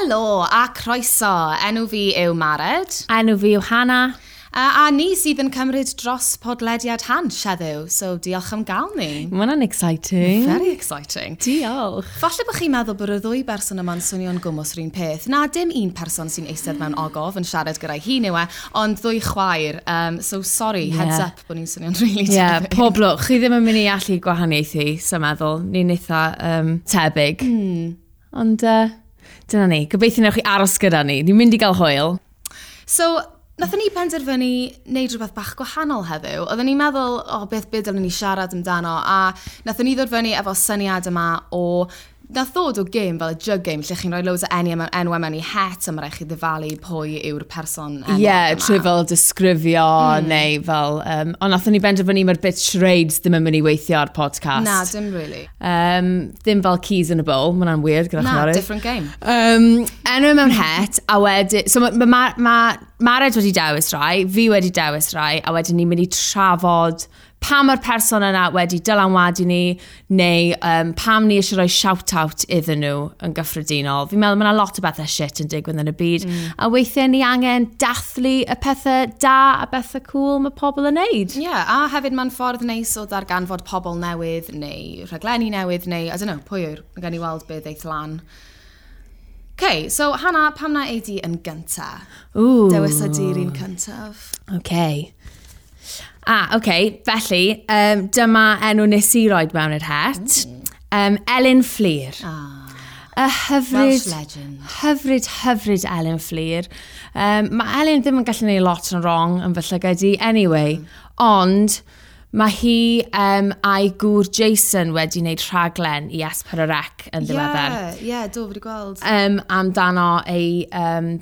Helo a croeso. Enw fi yw Mared. Enw fi yw Hannah. A ni sydd yn cymryd dros podlediad Hansh heddiw, so diolch am gael ni. Mae hwnna'n exciting. Very exciting. Diolch. Falle bod chi'n meddwl bod y ddwy berson yma'n swnio'n gwmws yr un peth. Na, dim un person sy'n eistedd mewn ogof yn siarad gyda'i hun yw e, ond ddwy chwaer. So sorry, heads up bod ni'n swnio'n really tebyg. Pob lwc. Chi ddim yn mynd i allu gwahaniaethu, so meddwl. Ni'n eitha tebyg. Ond dyna ni. Gobeithio newch chi aros gyda ni. Ni'n mynd i gael hwyl. So, nathon ni penderfynu wneud rhywbeth bach gwahanol heddiw. Oedden ni'n meddwl, o, beth byd dylen ni siarad amdano, a nathon ni ddod fyny efo syniad yma o, nath ddod o gêm fel y jug game, lle chi'n rhoi loads o enwau mewn i het, a mae rhaid chi ddyfalu pwy yw'r person enwog Ie, yma. Trwy fel disgrifio, neu fel... Ond nathon ni benderfynu mae'r bit charades ddim yn mynd i weithio ar podcast. Na, dim really. Ddim fel keys in a bowl, ma' hwnna'n weird gyda Na, chwarae. Different game. Enw mewn het, a wedyn... So ma Mared wedi dewis rai, fi wedi dewis rai, a wedyn ni'n mynd i trafod pam mae'r person yna wedi dylanwadu ni, neu pam ni eisiau rhoi shout-out iddyn nhw yn gyffredinol. Fi'n meddwl mae yna lot o bethau shit yn digwydd yn y byd, a weithiau ni angen dathlu y pethau da a bethau cool mae pobl yn neud. Ie, yeah, a hefyd mae'n ffordd neis o ddarganfod pobl newydd, neu rhaglenni newydd, neu, I don't know, pwy yw'r, mae gen i weld beth eith lan. Okay, so Hannah, pam na ei di yn gynta? Ooh. Dewis ydi'r un cyntaf. Okay. Ah, okay. Felly, dyma enw nes i roed mewn i'r het. Elin Fflur. Y hyfryd, Welsh legend. Hyfryd, hyfryd Elin Fflur. Mae Elin ddim yn gallu gwneud lot yn wrong yn fy llygad i, anyway. Ond mae hi a'i gŵr Jason wedi wneud rhaglen i S4C yn ddiweddar. Ie, ie, do, fi wedi gweld. Amdano ei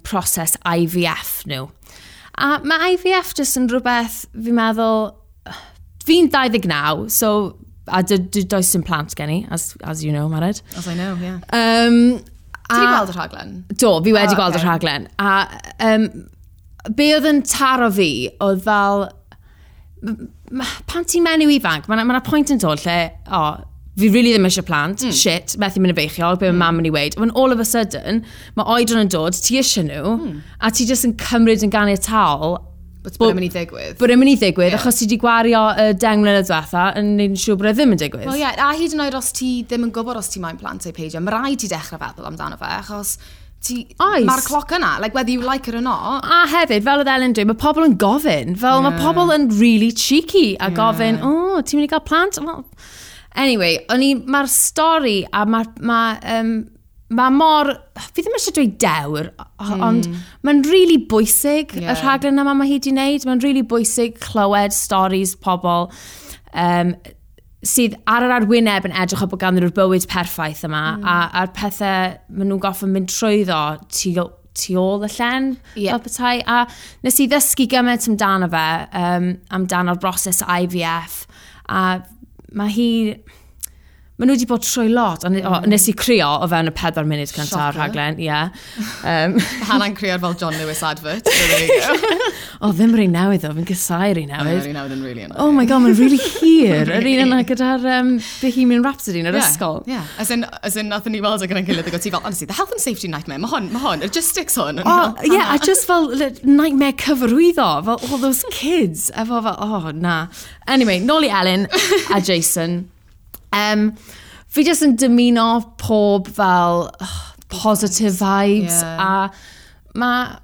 proses IVF nhw. A mae IVF jyst yn rhywbeth, fi'n meddwl, fi'n 29, so, a does dim plant gen i, as you know, Mared. As I know, yeah. Ti wedi gweld y rhaglen? Do, fi wedi Oh, gweld y okay. rhaglen. A be oedd yn taro fi, oedd fel, pan ti'n menyw ifanc, mae 'na pwynt yn dod lle, o, fi really ddim eisiau plant, shit, methu mynd yn beichiog, be mae mam yn ei weud. When all of a sudden, mae oedran yn dod, ti eisiau nhw, a ti jyst yn cymryd yn ganiataol But bod e'n mynd i ddigwydd. Bod e'n mynd i ddigwydd, achos ti wedi gwario y 10 mlynedd diwetha yn neud yn siŵr bod e ddim yn digwydd. Wel ie, a hyd yn oed os ti ddim yn gwybod os ti moyn plant neu peidio, mae rhaid ti dechrau feddwl amdano fe, achos ti, Oes. mae'r cloc yna, like whether you like it or not. A hefyd, fel oedd Ellen dweud, mae pobl yn gofyn. Fel mae pobl yn really cheeky a gofyn, o, ti'n mynd i gael plant? Well, anyway, o'n i, mae'r stori a mae mor, fi ddim eisiau dweud dewr, ond mae'n really bwysig y rhaglen yma mae hi wedi wneud. Mae'n really bwysig clywed stories pobl sydd ar yr arwyneb yn edrych o bod ganddyn nhw'r bywyd perffaith yma, a'r pethau maen nhw'n gorfod mynd trwyddo tu ôl y llen, fel petai. A nes i ddysgu gymaint amdano fe, amdano'r broses IVF, a mae hi... Maen nhw wedi bod trwy lot, ond nes i crio o fewn y 4 munud cyntaf o'r Shocker. rhaglen, ie. Hannah'n crio fel John Lewis advert. So there you go. O, ddim yr un newydd o, fi'n casáu'r un newydd. Yr un newydd yn really annoying. Oh my god, mae'n really hir. Yr un yna gyda'r Bohemian Rhapsody yn yr ysgol. Yeah, as in, nathon ni weld o gyda'n gilydd, ac o ti fel, honestly, the health and safety nightmare, mae hwn, logistics hwn. Oh, yeah, a just fel nightmare cyfarwyddo, fel all those kids, efo fel, oh, na. Anyway, nôl i Elin a Jason. Fi jyst yn dymuno pob fel positive vibes, a ma'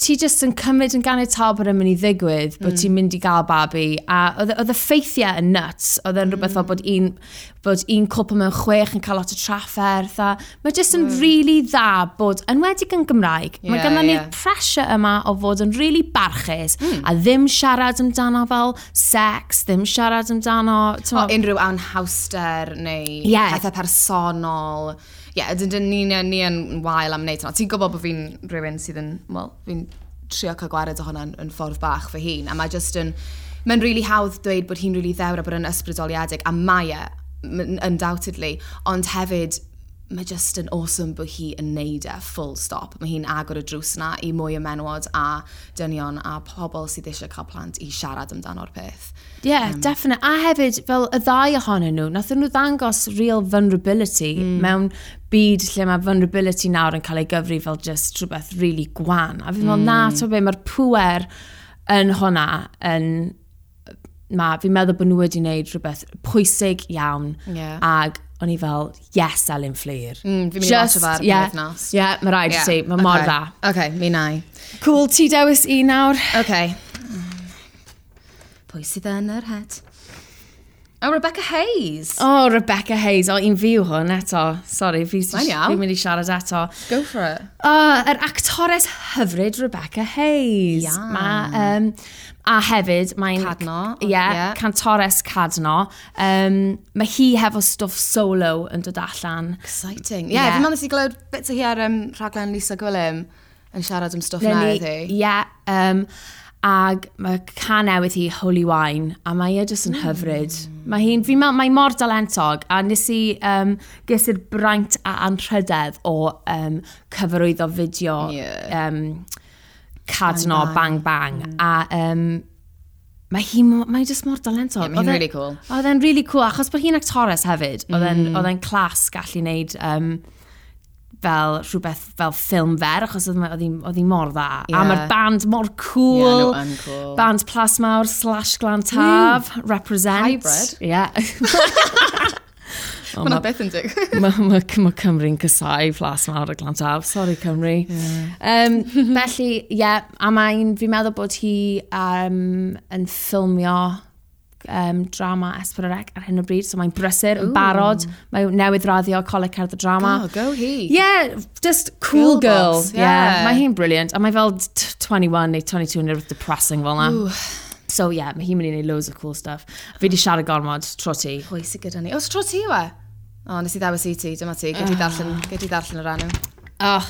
ti jyst yn cymryd yn ganiataol bod e'n mynd i ddigwydd, bod ti'n mynd i gael babi, a oedd y ffeithiau yn nuts, oedd e'n rhywbeth fel bod un cwpl mewn 6 yn cael lot o trafferth, a mae jyst yn really dda bod, enwedig yn Gymraeg, mae ganddo ni'r pressure yma o fod yn really barchus, a ddim siarad amdano fel sex, ddim siarad amdano... O, unrhyw anhawster neu pethau personol. Ie, yeah, ni yn wael am wneud hwnna. Ti'n gwybod bod fi'n rhywun sydd yn, wel, fi'n trio cael gwared o hwnna yn ffordd bach fy hun. A mae just yn, mae'n really hawdd dweud bod hi'n really ddewr a bod yn ysbrydoliedig, a mae e, undoubtedly, ond hefyd Mae just yn awesome bod hi yn neud e, full stop. Mae hi'n agor y drws na i mwy o menywod a dynion a pobl sydd eisiau cael plant i siarad amdano'r peth. Yeah, definite. A hefyd, fel y ddau ohonyn nhw, nath nhw ddangos real vulnerability mewn byd lle mae vulnerability nawr yn cael ei gyfri fel just rhywbeth really gwan. A fi'n meddwl, na, ti'n be, mae'r pwer yn hwnna yn... Ma, fi'n meddwl bod nhw wedi wneud rhywbeth pwysig iawn. Ag o'n i fel, yes, Elin Fflur. Fi'n mynd i watcho fe ar y penwythnos. Yeah, mae rhaid i ti, mae mor dda. OK, mi na i. Cool, ti dewis un nawr. OK. Pwy sydd yn yr het? Oh, Rebecca Hayes. Oh, Rebecca Hayes. O, un fi yw hwn eto. Sorry, fi Mae'n iawn. fi'n mynd i siarad eto. Go for it. Oh, yr actores hyfryd Rebecca Hayes. Ia. Ma, a hefyd, mae'n... Cadno. Ie, yeah, cantores Cadno. Mae hi hefo stwff solo yn dod allan. Exciting. Yeah, Yeah. fi'n meddwl nes i glywed bits o hi ar rhaglen Lisa Gwilym yn siarad am stwff newydd hi. Ie, ag mae can newydd hi, Holy Wine, a mae e jyst yn hyfryd. Mae hi'n, fi'n meddwl, mae mor dalentog, a nes i, ges i'r braint a anrhydedd o cyfarwyddo fideo Cadno Bang Bang, a mae hi, mae jyst mor dalentog. Yeah, mae hi'n Oedd e- really cool. Oedd e'n really cool, achos bod hi'n actores hefyd. Oedd e'n class gallu wneud fel rhywbeth fel ffilm fer, achos oedd hi mor dda. A mae'r band mor cool. Yeah, nhw yn cool. Band Plasmawr slash Glantaf, represent. Hybrid. Yeah. Oh, Mae'n beth yn dig. Mae ma Cymru'n casau Plasmawr a Glantaf. Sorry, Cymru. Yeah. Felly, ie, yeah, a mae'n, fi'n meddwl bod hi yn ffilmio drama S4C ar hyn o bryd, so mae'n brysur, yn barod. Mae newydd raddio Coleg Cerdd y Drama. Oh, go hi. Yeah, just cool Girl girl. boss, Yeah. yeah. Mae hi'n brilliant. A mae fel 21 neu 22 neu rhywbeth depressing fel na. So yeah, mae hi'n mynd i wneud loads of cool stuff. Fi di siarad gormod, tro ti. Pwy sydd gyda ni? O, tro ti yw e? O, nes i ddewis i ti, dyma ti. Gyd i ddarllen yr enw. Oh,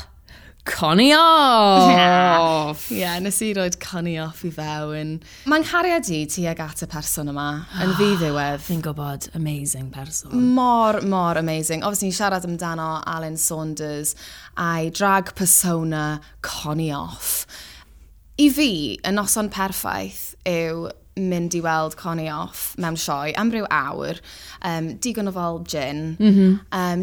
Connie Off! Ie, yeah, nes i roed Connie Off i fewn. Mae'n nghariad i tuag at y person yma, yn ddiddiwedd. Fi'n gwybod, amazing person. Mor, mor amazing. Obviously, ni'n siarad amdano Alan Saunders a'i drag persona Connie Off. I fi, y noson perffaith yw mynd i weld Connie Off mewn sioe am ryw awr, digon o fel gin,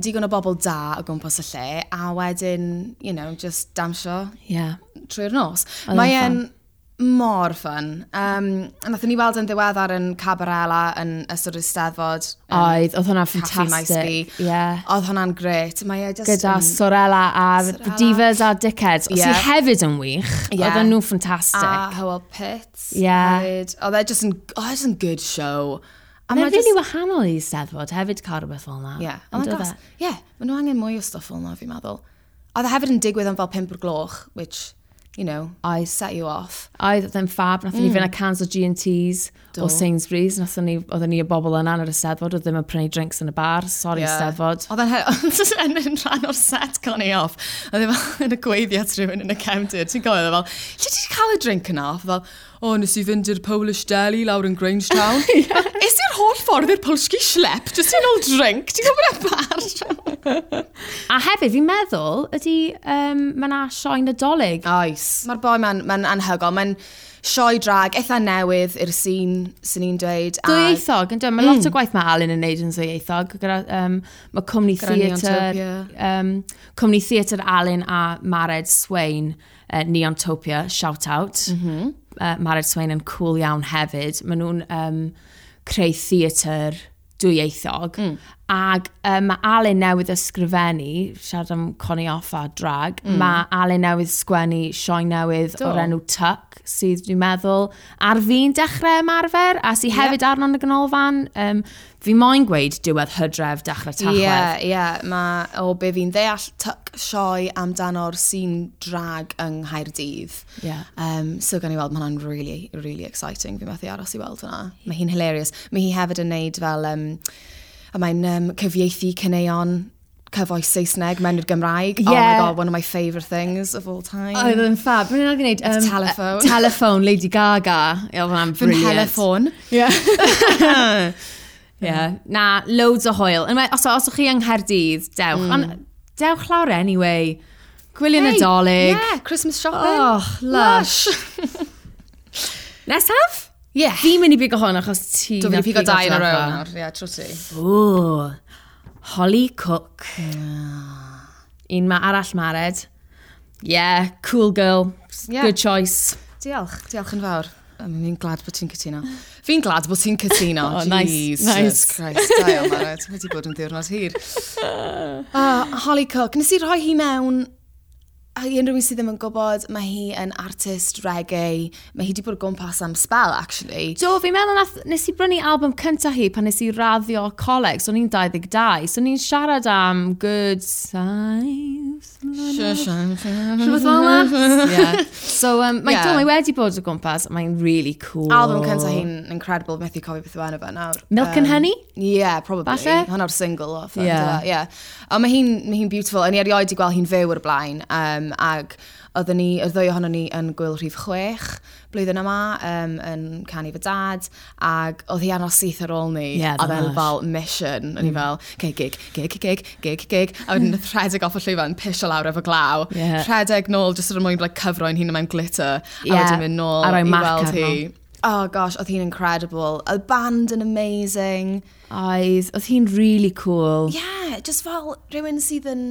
digon o bobl da o gwmpas y lle, a wedyn, you know, just damsio trwy'r nos. Oedd e'n Mae e'n mor fun. Nathon ni weld yn ddiweddar yn Cabarella yn ystod yr Eisteddfod. Oedd hwnna'n Caffi Maes B. ffantastig. Yeah. Oedd hwnna'n gret. Mae e just Gyda Sorella a Sorella. Divas a Dickheads, yeah. Yeah. Sydd hefyd yn wych. Yeah. Oedden nhw'n ffantastig. A Hywel Pitts. Yeah. Hefyd. Oedd e just yn, oedd e just yn good show. A Mae'n mae really just- wahanol i Eisteddfod hefyd cael rhywbeth fel yna. Yeah. Yn Oedd e'n dod gas. e? Yeah, maen nhw angen mwy o stwff fel yna, fi'n meddwl. Oedd e hefyd yn digwydd am fel 5 o'r gloch, which, you know, Oedd. set you off. Oedd, oedd e'n fab, nathon ni fynd â cans o G&Ts o Do. Sainsbury's, nathon ni, oedden ni y bobl yna yn yr Eisteddfod, oedd ddim yn prynu drinks yn y bar, sorry Yeah. Eisteddfod. Oedd e'n yn rhan o'r set Connie Off. Oedd e fel yn y gweiddi at rhywun yn y cefndir. Ti'n gofio, oedd e fel, lle ti 'di cael y drink yna? Oedd e fel, o, nes i fynd i'r Polish Deli lawr yn Grangetown. yeah. Is i'r holl ffordd i'r Polski Schlep, just i'n ôl drink? Ti'n gwybod y bar? A hefyd, fi'n meddwl, ydy, mae yna sioe Nadolig. Oes. Mae'r boi ma'n ma anhygoel. Mae'n sioe drag eitha newydd i'r scene, sy'n ni'n dweud. Dwyieithog, yn dweud. Mae lot o gwaith mae Alun yn neud yn ddwyieithog. Gyda, mae cwmni Gyda theatr, Neontopia. cwmni theatr Alun a Mared Swain, Neontopia, shout out. Mared Swain yn cool iawn hefyd. Maen nhw'n creu theatr dwyieithog. Ag mae Alun newydd ysgrifennu, siarad am Connie Off a drag, mae Alun newydd sgwennu sioe newydd Do. o'r enw Tuck, sydd dwi'n meddwl ar fi'n dechrau ymarfer, a sydd hefyd arno yn y ganolfan. Fi moyn gweud diwedd hydref, dechrau tachwedd. Ie, ie. Mae, o be fi'n ddeall, Tuck sioe amdano'r scene drag yng Nghaerdydd. Ie. So gan i weld, mae hwnna'n really, really exciting. Fi'n methu aros i weld hwnna. Mae hi'n hilarious. Mae hi hefyd yn neud fel, a mae'n cyfieithu caneuon cyfoes Saesneg mewn i'r Gymraeg. Oh my God, one of my favourite things of all time. Oedd yn fab. Mae'n rhaid i wneud... Telephone. Telephone, Lady Gaga. Ie, oedd hwnna'n Fy brilliant. nheleffon. Yeah. Yeah. Na, loads o hwyl. Anyway, os ydych chi yng Nghaerdydd, dewch. Ond Dewch lawr anyway. Gwyliau hey, Nadolig. Yeah, Christmas shopping. Oh, lush. Nesaf? Yeah. Fi'n mynd i bigo hwn achos ti... Dwi'n mynd i pigo dau yn a row nawr. Yeah, trwy ti. Ooh. Holly Cook. Un ma arall Mared. Yeah, cool girl. Yeah. Good choice. Diolch, diolch yn fawr. Fi'n glad bod ti'n cytuno. Fi'n glad bod ti'n cytuno. Oh, nice, Jesus nice. Christ, da iawn, Mared. Wedi bod yn ddiwrnod hir. Holly Cook. Nes i rhoi hi mewn, a i unrhyw un sydd ddim yn gwybod, mae hi yn artist reggae. Mae hi wedi bod o gwmpas am spell, actually. Do, fi'n meddwl nath, nes i brynu album cyntaf hi pan nes i raddio coleg, so o'n i'n 22, so o'n i'n siarad am good size. Rhywbeth fel 'na? Yeah. So, mae yeah. Do, mae wedi bod o gwmpas, mae'n really cool. Album cyntaf hi'n incredible, methu cofio beth yw enw fe nawr. Milk and Honey? Yeah, probably. Falle? Hwna'r single off. Yeah. Yeah. Ond mae hi'n mae hi beautiful. O'n i erioed 'di gweld hi'n fyw o'r blaen. Ag oedden ni, y ddwy ohonon ni yn gwyl rhif 6 blwyddyn yma, yn canu fy dad, ag oedd hi anos syth ar ôl ni. Yeah, oedd e'n lush. fel mission. O'n i fel, okay, gig, gig, gig, gig, gig. A wedyn nath rhedeg off y llwyfan, pisio lawr efo glaw. Yeah. Rhedeg nôl, jyst er mwyn like, cyfro'n hun mewn glitter. Yeah. A wedyn mynd nôl A rhoi i mac weld arno. hi. Oh gosh, oedd hi'n incredible. Y band yn amazing. Oedd hi'n really cool. Yeah, just fel rhywun sydd yn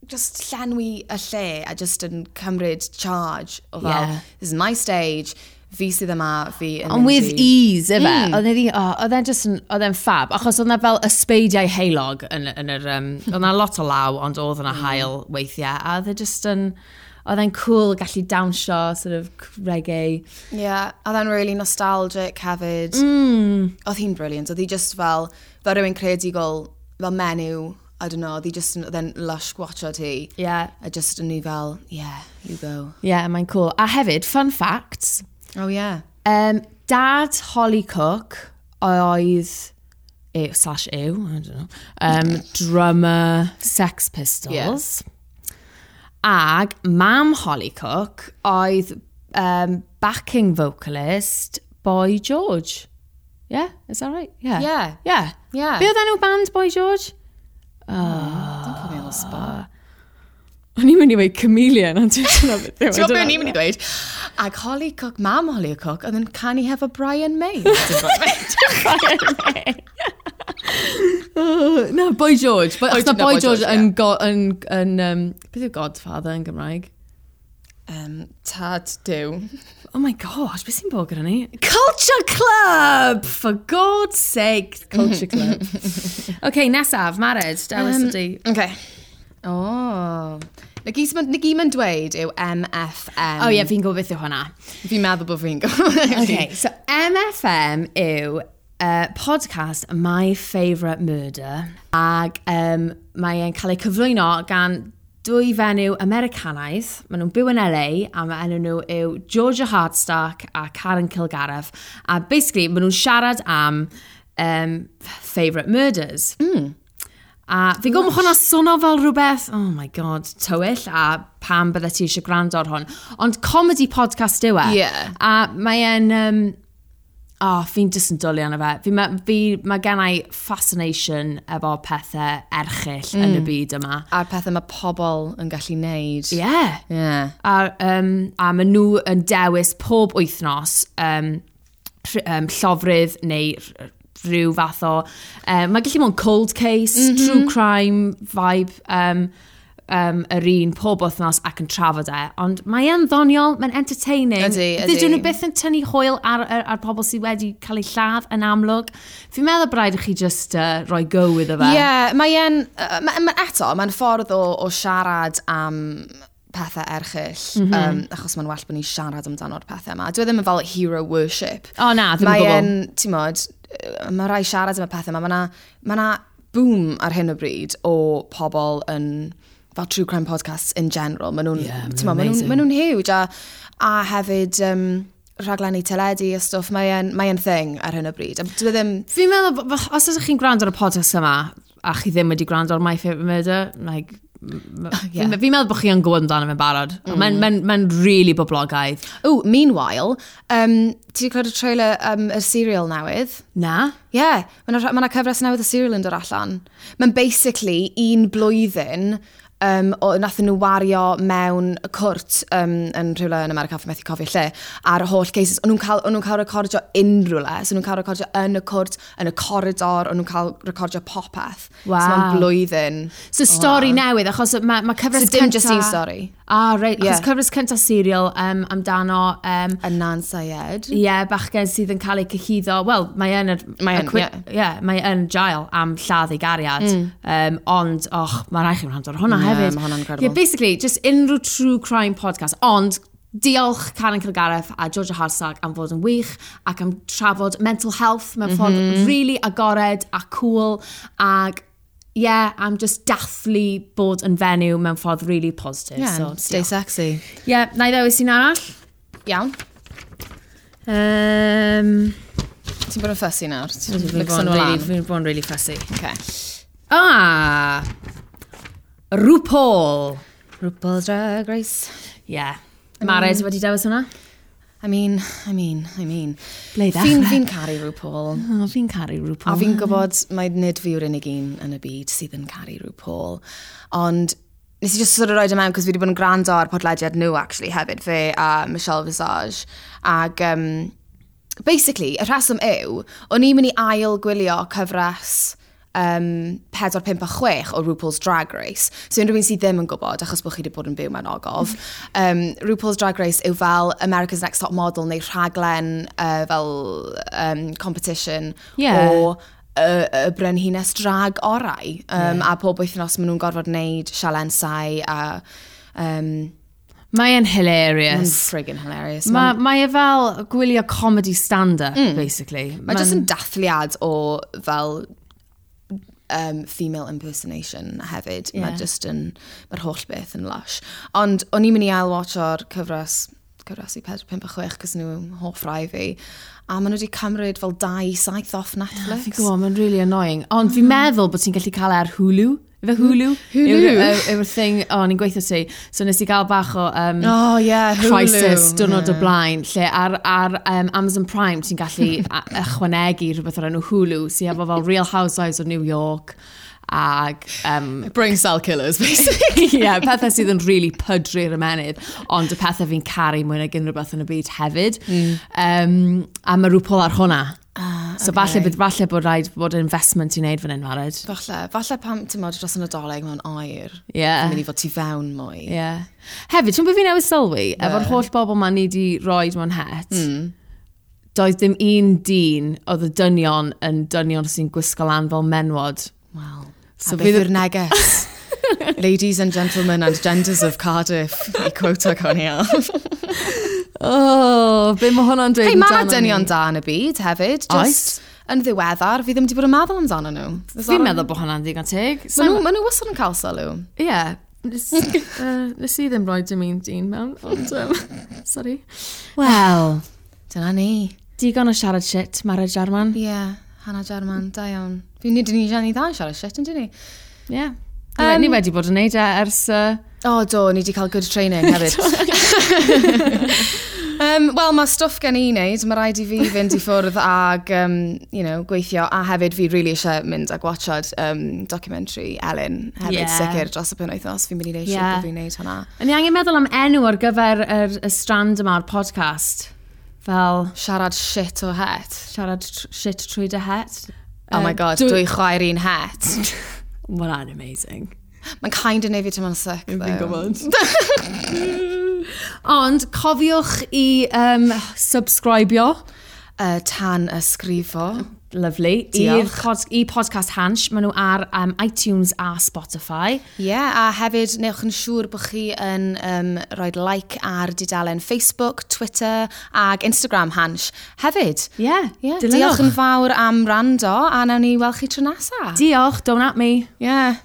just llenwi y lle a just yn cymryd charge o fel, Yeah. this is my stage, fi sydd yma, fi yn Ond mynd with i... ease, ife? Oedd e oedd e'n just yn, oedd e'n fab. Achos oedd na fel ysbeidiau heulog yn yr... oedd na lot o law, ond oedd yna haul weithiau. A oedd e just yn... Oedd e'n cool gallu dawnsio, sort of reggae. Yeah, oedd e'n really nostalgic hefyd. Oedd hi'n brilliant. Oedd hi just fel rhywun creadigol, fel menyw, I don't know, oedd hi just, oedd e'n lush gwatchod hi. Yeah. A just yn ni fel, yeah, you go. Yeah, mae'n cool. A hefyd, fun facts. Oh yeah. Dad Holly Cook oedd, ew, slash ew, I don't know, drummer Sex Pistols. Yeah. Ag mam Holly Cook oedd backing vocalist Boy George. Yeah, is that right? Yeah. Yeah. Yeah. Yeah. Be oedd enw band Boy George? Don't put me on the spot. O'n i'n mynd i weud Chameleon, ond dwi'n dyna beth yw e, Ti'n gwybod beth dyna- o'n i'n mynd i ddweud? Ag Holly Cook, mam Holly Cook, oedd yn canu hefo Brian May. Dim Brian May. Oh, na, Boy George. Boy, Boy- achos ma no, Boy Boy George George, yn, go, yn, yn beth yw Godfather yn Gymraeg? Tad Duw. Oh my gosh, beth sy'n bod gyda ni? Culture Club! For God's sake, Culture Club. OK, nesaf, Mared, dewis ydi. Okay. Oh. Na gyd ma'n dweud yw MFM. Oh ie, yeah, fi'n gwybod beth yw hwnna. Fi'n meddwl bod fi'n gwybod. Okay, so MFM yw podcast My Favourite Murder, ag mae e'n cael ei cyflwyno gan dwy fenyw Americanaidd. Maen nhw'n byw yn LA a mae enw nhw yw Georgia Hardstark a Karen Kilgariff. A basically, maen nhw'n siarad am favourite murders. A fi'n gwybod mae hwnna'n swnio fel rhywbeth, oh my god, tywyll, a pam bydde ti eisiau gwrando ar hwn. Ond comedy podcast yw e. Yeah. A mae e'n... Oh, fi'n just yn dwlu arno fe. Mae gen i fascination efo pethau erchyll yn y byd yma. A'r pethau mae pobl yn gallu neud. Yeah. Yeah. A maen nhw yn dewis pob wythnos llofrudd neu rhyw fath o... Mae gallu bod yn cold case, true crime vibe, yr un pob wythnos ac yn trafod e. Ond mae e'n ddoniol, mae'n entertaining. Ydi, ydi. Dydyn nhw byth yn tynnu hwyl ar pobl sydd wedi cael eu lladd yn amlwg. Fi'n meddwl bod rhaid i chi just rhoi go iddo fe. Ie, yeah, mae e'n... eto, mae'n ffordd o siarad am pethau erchyll, achos mae'n well bod ni'n siarad amdano'r pethau yma. Dwi ddim yn fel hero worship. O na, ddim yn Mae gwbl. e'n, ti'n modd, mae rai siarad am y pethau yma. Mae 'na boom ar hyn o bryd o pobl yn fel true crime podcasts in general. Maen nhw'n, Yeah, ma' ti'n modd, nhw'n maen nhw'n huge. A hefyd rhaglenni teledu a stwff, mae e'n thing ar hyn o bryd. A dwi ddim... Fi'n meddwl, os ydych chi'n gwrando ar y podcast yma, a chi ddim wedi gwrando ar My Favourite Murder, like, Yeah. Fi'n meddwl bod chi yn gwybod amdano fe'n barod. Mae'n ma really boblogaidd. Oh, meanwhile, ti wedi clywed y trailer y serial newydd? Na? Yeah, mae yna ma cyfres newydd y serial yn dod allan. Mae'n basically un blwyddyn nathon nhw wario mewn y cwrt yn rhywle yn America, fi methu cofio lle, ar holl cases. O'n nhw'n cael recordio unrhyw le. So o'n nhw'n cael recordio yn y cwrt, yn y corridor, o'n nhw'n cael recordio popeth. Wow. So mae'n blwyddyn. So stori newydd, achos mae cyfres So dim just un stori. Ah, reit. Achos Yeah. cyfres cyntaf serial amdano Adnan Syed. Ie, yeah, bachgen sydd yn cael ei cyhuddo. Wel, mae yn... Mae yn, ie. Yeah, mae yn jail am lladd ei gariad. Ond, och, mae rhaid chi wrando ar hwnna Ie, hefyd. ma' hwnna'n incredible. Yeah, basically, just unrhyw true crime podcast. Ond, diolch Karen Kilgariff a Georgia Hardstark am fod yn wych ac am trafod mental health mewn ffordd really agored a cool ac yeah, am just dathlu bod yn fenyw mewn ffordd really positive. Yeah, so, stay sexy. Yeah, na i ddewis un arall. Iawn. Ti'n bod yn fussy nawr. Ti'n Fi'n mixo bod yn nhw really, lan. fi'n bod yn really fussy. Okay. Ah! RuPaul. RuPaul's Drag Race. Yeah. Mared wedi dewis hwnna? I mean, I mean, I mean. Ble i ddechrau? Fi'n caru RuPaul. Oh, fi'n caru RuPaul. A fi'n gwybod mai nid fi yw'r unig un yn y byd sydd yn caru RuPaul. Ond nes i just sort of roid e mewn, cos fi wedi bod yn gwrando ar podlediad nhw, actually, hefyd, fe a Michelle Visage. Ag, basically, y rheswm yw, o'n i'n mynd i ail gwylio cyfres 4, 5 a 6 o RuPaul's Drag Race. So unrhyw un sydd ddim yn gwybod, achos bod chi wedi bod yn byw mewn ogof, RuPaul's Drag Race yw fel America's Next Top Model neu rhaglen fel competition o y brenhines drag orau. A pob wythnos maen nhw'n gorfod wneud sialensau a Mae e'n Mae'n hilarious. friggin' hilarious. Mae e fel gwylio comedy stand-up, basically. Mae jyst yn dathliad o fel female impersonation hefyd. Yeah. Mae just yn, mae'r holl beth yn lush. Ond o'n i'n mynd i ail-watcho'r cyfres i 4, 5 a 6, cos nhw hoff rai fi. A maen nhw wedi cymryd fel 2-7 off Netflix. Fi'n gwybod, mae'n really annoying. Ond fi'n meddwl bod ti'n gallu cael e ar Hulu. Ife Hulu? Hulu? Yw'r thing, o, ni'n gweithio ti. So nes i gael bach o Oh, yeah, Hulu. crisis diwrnod o blaen, lle ar Amazon Prime ti'n gallu ychwanegu rhywbeth o'r enw Hulu, sydd efo fel Real Housewives of New York, ag Brain cell killers, basically. yeah, pethau sydd yn really pydru'r ymennydd, ond y pethau fi'n caru mwy nag unrhyw beth yn y byd hefyd. A mae RuPaul ar hwnna. So falle bod rhaid bod investment i wneud fan hyn, Mared. Falle pam, ti'n modd, dros y Nadolig mewn air. Yeah. Fi'n mynd i fod tu fewn mwy. Yeah. Hefyd, ti'n bod fi newydd sylwi, efo'r holl bobl ma ni di roed mewn het, doedd dim un dyn oedd y dynion yn dynion sy'n gwisgo lan fel menwod. Wel, So so a beth fydd- yw'r neges? Ladies and gentlemen and genders of Cardiff, i quota Conia. Oh, be mae hwnna'n dweud Hei, mae 'na amdano ni? dynion da yn y byd hefyd. Just yn ddiweddar, fi ddim wedi bod yn meddwl amdano nhw. Fi'n meddwl bod hwnna'n ddigon teg. Ma nhw wastad yn cael sylw. Ie. Nes i ddim rhoi dim un dyn mewn, ond... Sorry. Wel, Dyna ni. digon o siarad shit, Mara Jarman. Ie, yeah, Hannah Jarman, da iawn. Fi'n ni dyn ni dda yn siarad shit, yn dyn ni? Ie. Ni wedi bod yn neud e ers... O, do, ni wedi cael good training hefyd. Wel, mae stwff gen i wneud. Mae rhaid i fi fynd i ffwrdd ag, you know, gweithio. A hefyd fi really eisiau mynd a gwachod documentary Ellen hefyd, sicr dros y penwythnos. Fi'n mynd i wneud siŵr bod fi'n wneud hwnna. O'n i angen meddwl am enw ar gyfer y strand yma o'r podcast. Fel Siarad shit o het. siarad shit trwy dy het. Oh my god, dwy chwaer un het. Mae hwnna'n amazing. Mae'n kind of neud fi teimlo'n sick, though. Fi'n gwybod. Ond cofiwch i subscribio. Tan ysgrifo. Lovely. Diolch. I podcast Hansh. Maen nhw ar iTunes a Spotify. Ie, yeah, a hefyd newch yn siŵr bod chi yn rhoi like ar dudalen Facebook, Twitter ag Instagram Hansh hefyd. Ie, yeah, Yeah, diolch yn fawr am rando a nawn ni weld chi tro nesa. Diolch, don't at me. Yeah.